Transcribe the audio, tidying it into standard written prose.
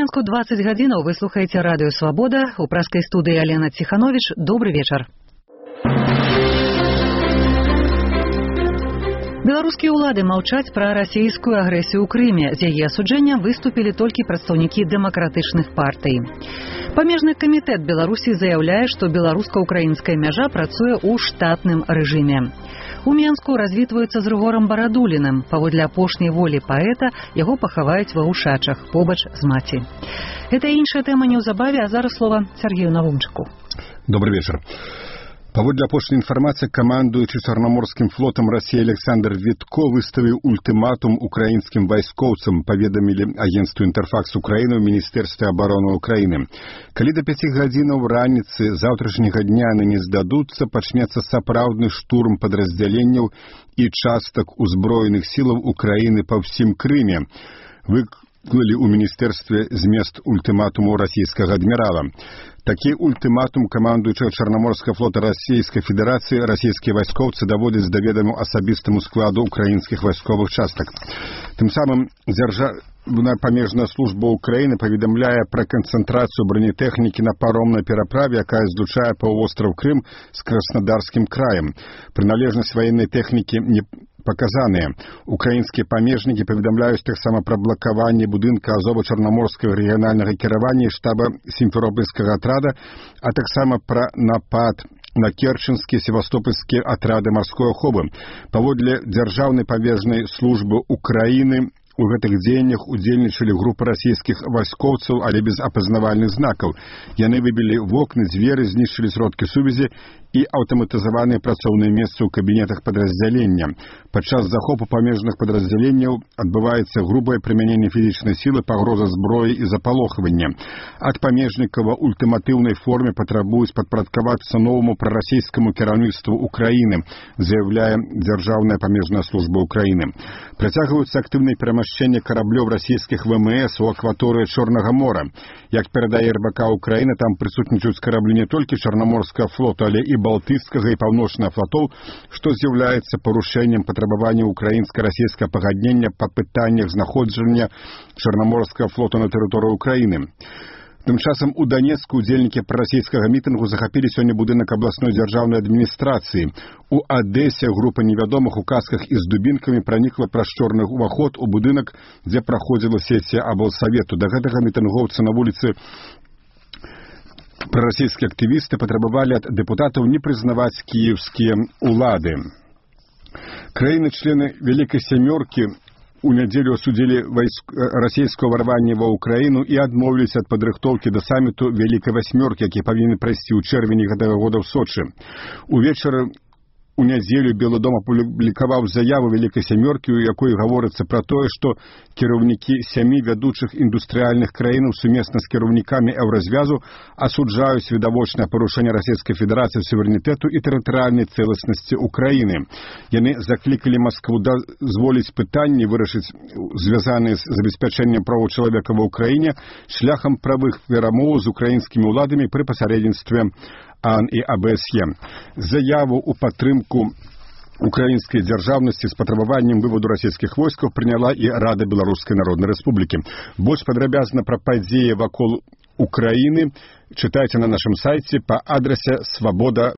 Мінску 20 гадзінаў вы слухаеце радыё «Свабода». У праскай студыі Алена Ціхановіч. Добры вечар. Беларускія ўлады маўчаць пра расійскую агрэсію ў Крыме. З яе асуджэннем выступілі толькі прадстаўнікі дэмакратычных партый. Памежны камітэт Беларусі заяўляе, што беларуска-украінская мяжа працуе ў штатным рэжыме. У Менску развітваюцца з Рыгорам Барадуліным. Паводле апошняй волі паэта яго пахаваюць ва Ушачах, побач з маці. Гэта іншая тэма неўзабаве, а зараз слова Сергею Навумчыку. Добрый вечер. Паводле апошняй інфармацыі, камандуючы Чарнаморскім флотам Расіі Александр Вітко выставіў ультыматум украінскім вайскоўцам, паведамілі агенцтву «Інтэрфакс Украіны» ў Міністэрстве абароны Украіны. Калі да 5 гадзінаў раніцы заўтрашняга дня яны не здадуцца, пачнецца сапраўдны штурм падраздзяленняў і частак узброеных сілаў Украіны па ўсім Крыме. Выклалі ў міністэрстве змест ультыматуму расійскага адмірала. Такі ультыматум камандуючага Чарнаморскага флота Расійскай Федэрацыі расійскія вайскоўцы даводзяць да ведаму асабістаму складу украінскіх вайсковых частак. Тым самым Дзяржаўная памежная служба Украіны паведамляе пра канцэнтрацыю бронетэхнікі на паромнай пераправе, якая злучае паўвостраў Крым з Краснодарскім краем. Прыналежнасць ваеннай тэхнікі не показаныя. Украінскія памежнікі паведамляюць таксама пра блакаванне будынка Азова-Чарнаморскага рэгіянальнага кіравання і штаба Сімферопольскага атрада, а таксама пра напад на керченскія севастопольскія атрады марской аховы. Паводле Дзяржаўнай памежнай службы Украіны у гэтых дзеяннях удзельнічалі групы расійскіх вайскоўцаў, але без апазнавальных знакаў. Яны выбілі вокны, дзверы, знішчылі сродкі сувязі і аўтаматызаваныя працоўныя месцы ў кабінетах падраздзялення. Падчас захопу памежных падраздзяленняў адбываецца грубае прымяненне фізічнай сілы, пагроза зброі і запалохвання. Ад памежнікаў у ультыматыўнай форме патрабуюць падпарадкавацца новаму прарасійскаму кіраўніцтву Украіны, заяўляе Дзяржаўная памежная служба Украіны. Працягваюцца актыўныя перамяшчэнне караблёў расійскіх ВМС у акваторыі Чорнага мора. Як перадае РБК Украіны, там прысутнічаюць караблі не толькі Чарнаморскага флоту, але і Балтыйскага і Паўночнага флотоў, што з'яўляецца парушэннем патрабавання украінска-расійскага пагаднення па пытаннях знаходжання Чарнаморскага флота на тэрыторыі Украіны. Тым часам у Данецку удзельнікі прарасійскага мітынгу захапілі сёння будынак абласной дзяржаўнай адміністрацыі. У Адэсе група невядомых у касках і з дубінкамі пранікла праз чорны ўваход у будынак, дзе праходзіла сесія аблсавету. Да гэтага мітынгоўцы на вуліцы прарасійскія актывісты патрабавалі ад дэпутатаў не прызнаваць кіеўскія ўлады. Краіны-члены Вялікай Сямёркі у нядзелю асудзілі расійскае ўварванне ва Ўкраіну і адмовіліся ад падрыхтоўкі да саміту Вялікай Васьмёркі, які павінен прайсці ў чэрвені гэтага года ў Сочы. Увечары у нядзелю Белы дом апублікаваў заяву Вялікай Сямёркі, у якой гаворыцца пра тое, што кіраўнікі 7 вядучых індустрыяльных краінаў сумесна з кіраўнікамі еўразвязу асуджаюць відавочнае парушэнне Расійскай Федэрацыі суверэнітэту і тэрытарыяльнай цэласнасці Украіны. Яны заклікалі Маскву дазволіць пытанні вырашыць, звязаныя з забеспячэннем правоў чалавека ва Ўкраіне, шляхам правых перамоў з украінскімі ўладамі пры пасярэдніцтве АН і АБСЕ. Заяву ў падтрымку украінскай дзяржаўнасці з патрабаваннем выводу расійскіх войскаў прыняла і Рада Беларускай Народнай Рэспублікі. Больш падрабязна пра падзеі вакол Украіны чытайце на нашым сайце па адрасе swaboda.pl.